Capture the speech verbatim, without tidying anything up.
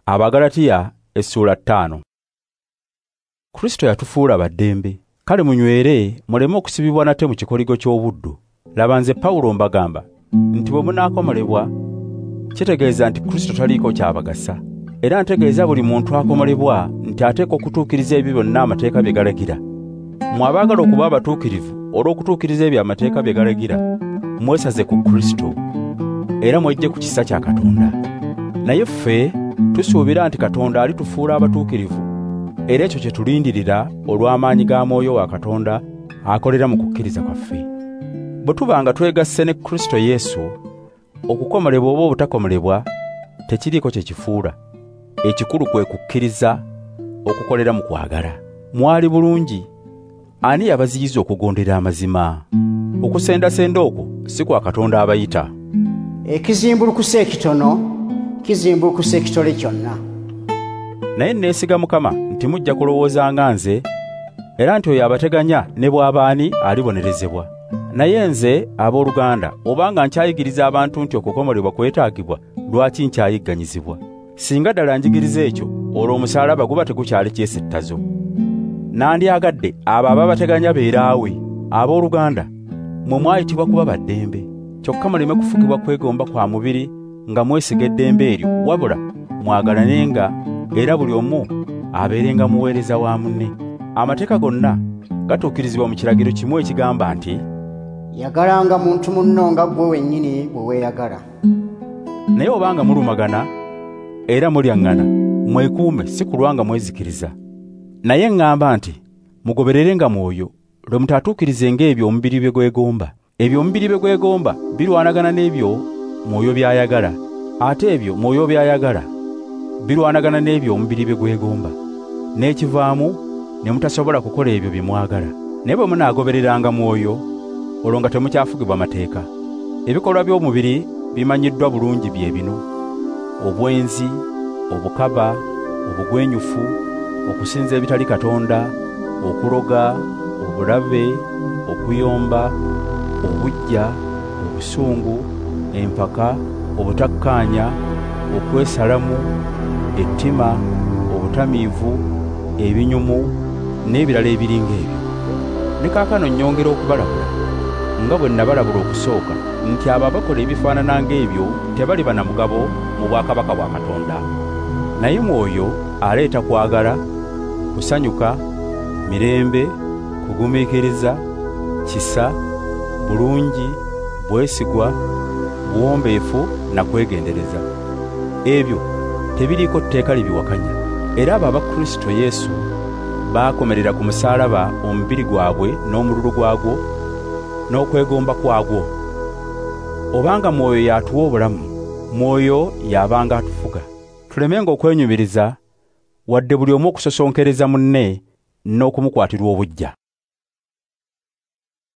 Abagalatiya essuula ttaano. Kristo yatufuula baddembe. Kale munywere muleme okusibibwa nate mu kikoligo ky'obuddu. Laba nze Pawulo mbagamba nti bwe munaakomolebwa kitegeeza nti Kristo taliiko kyabagasa. Era ntegeeza buli muntu akomolebwa nti ateekwa okutuukiriza ebyo byonna amateeka bye galagira. Mmwe abaagala okuba abatuukirivu olw'okutuukiriza ebyo amateeka bye galagira, mwesaze ku Kristo era mwejje ku kisa kya Katonda. Naye ffe tusuubira nti Katonda alitufuula abatuukirivu, era ekyo kye tulindirira olw'amaanyi ga Mwoyo wa Katonda akolera mu kukkiriza kwaffe. Bwe tubanga twegasse ne Kristo Yesu, okukomolebwa oba obutakomolebwa tekiriiko kye kifuula. Ekikulu kwe kukkiriza okukolera mu kwagala. Mwali bulungi, ani yabaziyiza okugondera amazima? Okusendasenda okwo si kwa Katonda abayita. Ekizimbulukusa ekitono kizimbulukusa ekitole kyonna. Naye neesiga Mukama nti mujja kulowooza nga nze, era nti oyo abateganya ne bw'abaani alibonerezebwa. Naye nze abooluganda, obanga nkyayigiriza abantu nti okukomolebwa kwetaagibwa, lwaki nkyayigganyizibwa? Singa ddala njigiriza ekyo, olwo omusaalaba guba tegukyali kyesittazo. Nandyagadde abo ababateganya beeraawe. Abooluganda, mmwe mwayitibwa kuba baddembe, kyokka muleme kufugibwa kwegomba kwa mubiri nga mwesiga eddembe eryo, wabula mwagalanenga era buli omu abeerenga muweereza wa munne. Amateeka gonna gatuukirizibwa mu kiragiro kimu ekigamba nti, yagalanga muntu munno nga ggwe wennyini bwe weeyagala. Naye obanga mulumagana era mulyaŋŋana, mwekuume si kulwa nga mwezikiriza. Naye ŋŋamba nti mugobererenga Mwoyo, lwe mutaatuukirizenga ebyo omubiri bye gwegomba. Ebyo omubiri bye gwegomba birwanagana n'ebyo Mwoyo by'ayagala, ate ebyo Mwoyo by'ayagala birwanagana n'ebyo omubiri bye gwegomba. N'ekivaamu ne mutasobola kukola ebyo bye mwagala. Naye bwe munaagobereranga Mwoyo, olwo nga temukyafugibwa mateeka. Ebikolwa by'omubiri bimanyiddwa bulungi bye bino: obwenzi, obukaba, obugwenyufu, okusinza ebitali Katonda, okuloga, obulabe, okuyomba, obuggya, obusungu, empaka, obutakkaanya, okwesalamu, ettima, obutamiivu, ebinyumu n'ebirala ebiringa ebyo. Ne kaakano nnyongera okubalabula nga bwe nabalabula okusooka nti abo abakola ebifaanana ng'ebyo tebaliba na mugabo mu bwakabaka bwa Katonda. Naye Mwoyo aleeta kwagala, kusanyuka, mirembe, kugumiikiriza, kisa, bulungi, bwesigwa, buwombeefu na kwegendereza. Ebyo tebiriiko tteeka libiwakanya. Era abo aba Kristo Yesu baakomerera ku musaalaba omubiri gwabwe n'omululu gwagwo n'okwegomba kwagwo. Obanga Mwoyo y'atuwa obulamu, Mwoyo y'abanga atufuga. Tulemenga okwenyumiriza, wadde buli omu okusosonkereza munne n'okumukwatirwa obuggya.